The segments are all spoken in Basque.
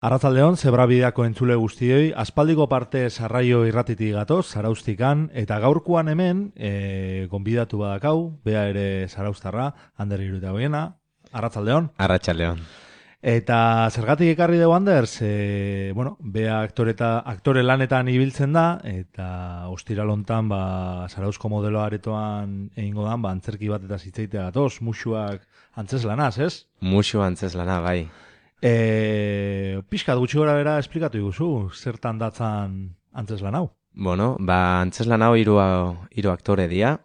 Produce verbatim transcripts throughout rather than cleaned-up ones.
Arratsaldeon, Zebrabideako entzule guztioi, aspaldiko parte sarraio irratitik gatoz, Zaraustikan, eta gaurkoan hemen, e, gonbidatu badakau, bea ere Zaraustarra, Ander Iruita hoiena, arratsaldeon. Arratsaldeon. Eta zergatik ekarri dugu Anders, e, bueno, bea aktore, eta, aktore lanetan ibiltzen da, eta ostiralontan, ba, Zarauzko modelo aretoan egingo dan, ba, antzerki bat eta zitzaitea gatoz, musuak antzeslanaz, ez? Musu antzeslana, bai. E, pixkat gutxi gora bera esplikatu iguzu, zertan datzan antzeslan hau? Bueno, ba, antzeslan hau hiru hiru aktore dira.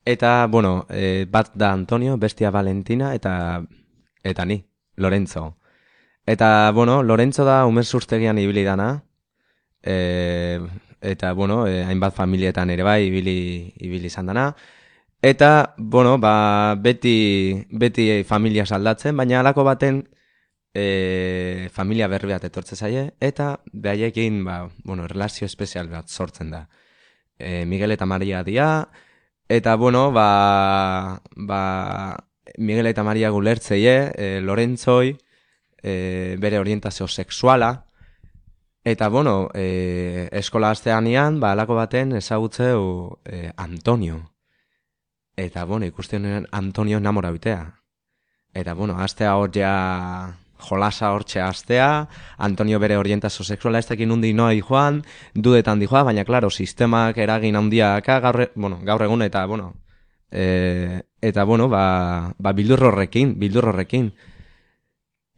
Eta, bueno, e, bat da Antonio, bestia Valentina, eta eta ni, Lorenzo. Eta, bueno, Lorenzo da umezurtegian ibili dana. E, eta, bueno, e, hainbat familietan ere bai ibili, ibili izan dana. Eta, bueno, ba, beti, beti familia saldatzen, baina halako baten E, familia berri bat etortze zaie, eta behaiekin, ba, bueno, relazio espezial bat sortzen da. E, Miguel eta Maria dia, eta, bueno, ba, ba, Miguel eta Maria gulertzeie, e, Lorenzoi, e, bere orientazio sexuala, eta, bueno, e, eskola asteanian, ba, alako baten ezagutzeu e, Antonio. Eta, bueno, ikusten Antonio enamora bitea. Eta, bueno, astea hor ja jolasa hortxe astea, Antonio bere orientazio sexuala ez dakin undi noa joan, dudetan dijoa, baina, klaro, sistemak eragin handiaka gaur, bueno, gaur egun, eta, bueno, e, eta, bueno, ba, ba bildur horrekin, bildur horrekin.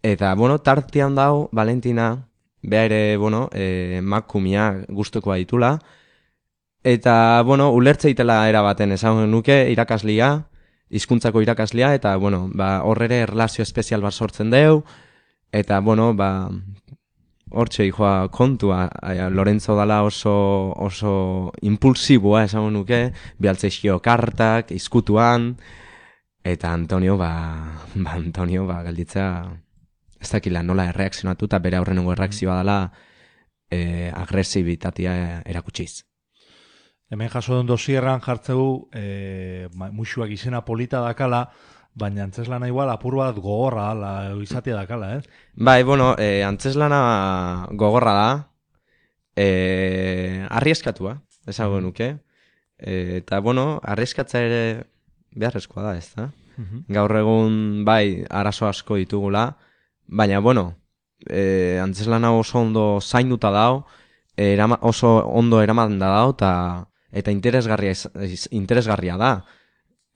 Eta, bueno, tartean dau, Valentina, beha ere, bueno, e, makumia gustukoa ditula, eta, bueno, ulertzeitela erabaten esan nuke irakaslia, hizkuntzako irakaslia, eta, bueno, ba, horrere erlazio espezial bat sortzen deu, eta, bueno, ba, hortxe joa kontua, a, Lorenzo dala oso, oso impulsiboa, esan nuke, bialtzeixio kartak, izkutuan, eta Antonio, ba, ba Antonio, ba, galditza, ez dakila nola erreakzionatu, eta bere aurrenengo erreakzioa dela e, agresibitatea erakutsiz. Hemen jaso den dosierran jartzeu e, musuak izena polita dakala, baina antzeslana igual apur bat gogorra la izatea dakala, eh? Bai, bueno, e, antzeslana gogorra da, e, arrieskatua, esango nuke, e, eta, bueno, arrieskatza ere beharrezkoa da, ez da? Uh-huh. Gaur egun, bai, arazo asko ditugula, baina, bueno, e, antzeslana oso ondo zainduta dao, e, erama, oso ondo eraman da dao, eta eta interesgarria, interesgarria da.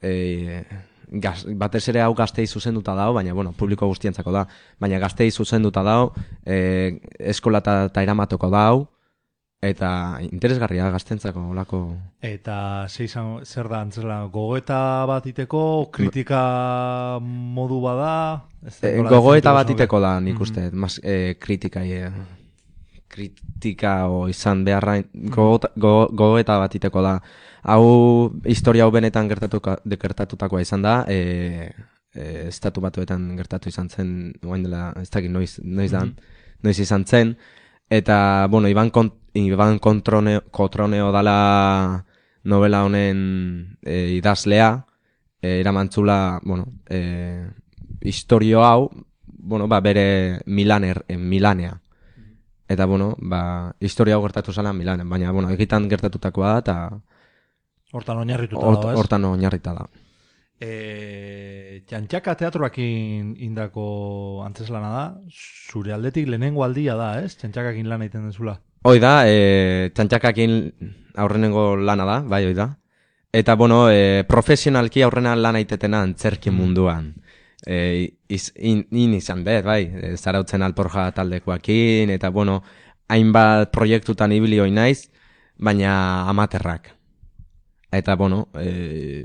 E, gaz, batez ere hau gaztei zuzenduta dao, baina, bueno, publiko guztientzako da, baina gaztei zuzenduta dao, e, eskola eta eramatoko dao, eta interesgarria gaztentzako olako. Eta zeizan, zer da antzela, gogoeta bat iteko, kritika modu bada? E, gogoeta bat iteko da, nik uste, mm-hmm. mas, e, kritika, e, kritika o izan beharra gogoeta go, go bat iteko da. Hau, historia hau benetan gertatuka, gertatutakoa izan da, e, e, estatu batuetan gertatu izan zen, oain dela, ez dakit noiz, noiz, dan, mm-hmm. noiz izan zen, eta, bueno, Iban, Kont, Iban Kontroneo, Kotroneo dala novela honen e, idazlea, e, eramantzula, bueno, e, historio hau, bueno, ba, bere Milaner, e, Milanea. Eta, bueno, ba, historia hau gertatu zala Milanen, baina, bueno, egitan gertatutakoa da, eta hortan oinarrituta da, ez? Hortan oinarrita da. E, Txantxaka teatroakin indako antzeslana da, zure aldetik lehenengo aldia da, ez? Txantxakakin lan egiten dezula. Hoi da, e, Txantxakakin aurrenengo lana da, bai, hoi da. Eta, bueno, e, profesionalki aurrena lan aitetena antzerki munduan. E, iz, in, in izan bet, bai, e, Zarautzen Alporja taldekoakin, eta, bueno, hainbat proiektutan ibili hoi naiz, baina amaterrak. Eta, bueno, e,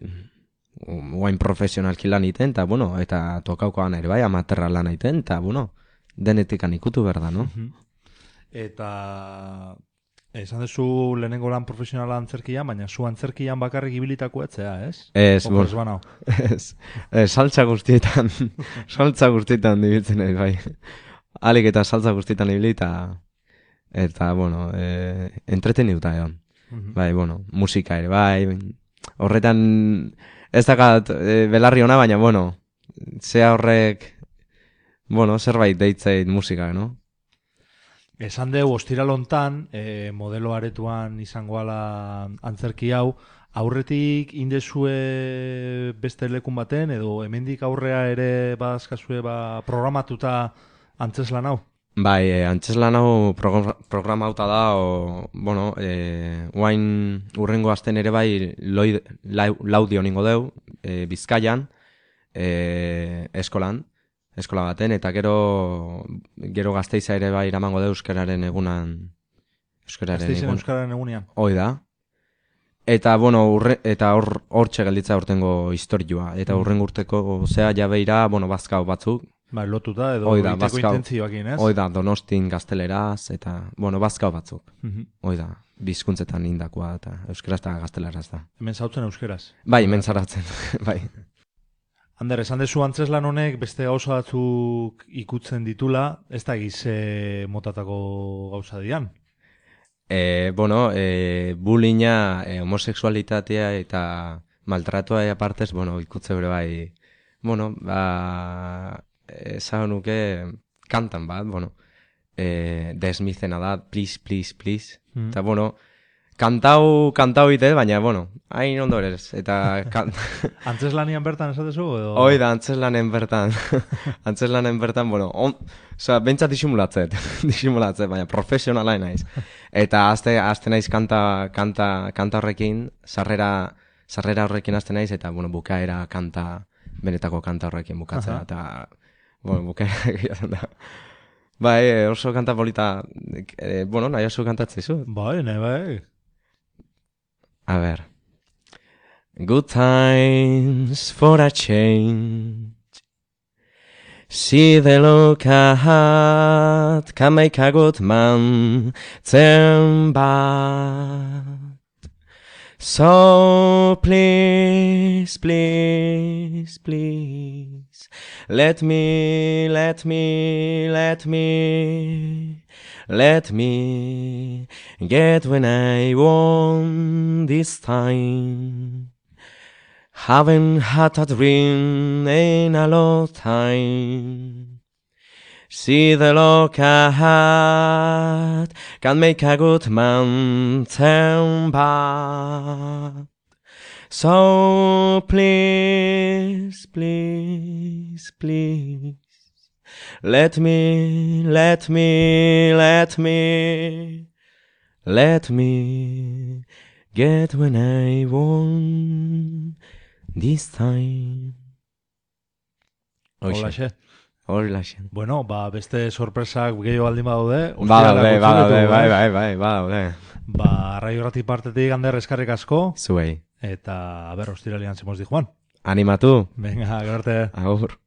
guain profesionalki lan iten, eta, bueno, eta tokaukoan ere, bai, amaterra lan iten, eta, bueno, denetikan ikutu berda, no? Eta esan dezu lehenengo lan profesionala antzerkian, baina zu antzerkian bakarrik ibilitako etzea, ez? Ez, bueno, ez, ez, saltza guztietan, saltza guztietan dibiltzen ez, bai. Alik eta saltza guztietan ibilita, eta, bueno, e, entreteniuta egon. Uh-huh. Bai, bueno, musika ere, bai, horretan, ez dakat e, belarri ona, baina, bueno, zea horrek, bueno, zerbait deitzeit musika, no? esan deu ostiralontan, e, modelo aretuan izango ala antzerki hau, aurretik indezue beste lekun baten, edo hemendik aurrea ere badazkazue ba, programatuta antzeslan hau? Bai, e, antzeslan hau programa, programauta da, o, bueno, e, guain urrengo asten ere bai loid, lau, laudio ningo deu, e, Bizkaian, e, eskolan, eskola baten, eta gero gero Gasteiza ere bai iramango deu euskararen egunan. Euskararen Gasteizen egun. euskararen egunean. Hoi da. Eta, bueno, urre, eta hor hortxe gelditza urtengo historioa. Eta urren urteko, zea jabeira, bueno, bazkau batzuk. Ba, lotuta edo Hoi da, iteko bazkau. intentzioakin, ez? Hoi da, Donostin gazteleraz, eta, bueno, bazkau batzuk. Mhm. Hoi da, bizkuntzetan indakoa, eta euskaraz eta gazteleraz da. Hemen zautzen euskeraz. Bai, hemen zaratzen, bai. Ander, esan dezu antzeslan honek beste gauza batzuk ikutzen ditula, ez da gize motatako gauza dian. E, bueno, e, bullyinga, e, homosexualitatea eta maltratua apartez, bueno, ikutze bere bai, bueno, ba, esan nuke kantan bat, bueno, e, desmizena da, please, please, please, Mm. eta, bueno, kantau, kantau ite, baina, bueno, hain ondo ez, eta... Kan... Antzeslanian bertan esatezu? Edo... Hoi da, antzeslanen bertan, antzeslanen bertan, bueno, on, oza, bentsat disimulatzet, disimulatzet, baina profesionala naiz. Eta azte, azte naiz kanta, kanta, kanta horrekin, sarrera, sarrera horrekin azte naiz, eta, bueno, bukaera kanta, benetako kanta horrekin bukatzea, Aha. eta, bueno, bukaera egiatzen da. Bai, oso kanta polita, eh, bueno, nahi oso kantatzezu. Bai, nahi bai. A ver. Good times for a change. See the look ahead can make a good man turn bad. So please, please, please, let me, let me, let me, let me get when I want this time. Haven't had a dream in a long time. See the look ahead can make a good man turn bad. So please, please, please, let me, let me, let me, let me get when I want this time. Holaxe. Holaxe. Bueno, ba, beste sorpresak gehiago baldin badaude. Badaude, ostiralak badaude, utzi bai, ditu, bai, ez? bai, badaude. Ba, Raio Grati partetik Ander eskarrik asko, Zuei. eta, a ber, ostiralian zemoz di Juan. Animatu. Venga, gero arte. Agur.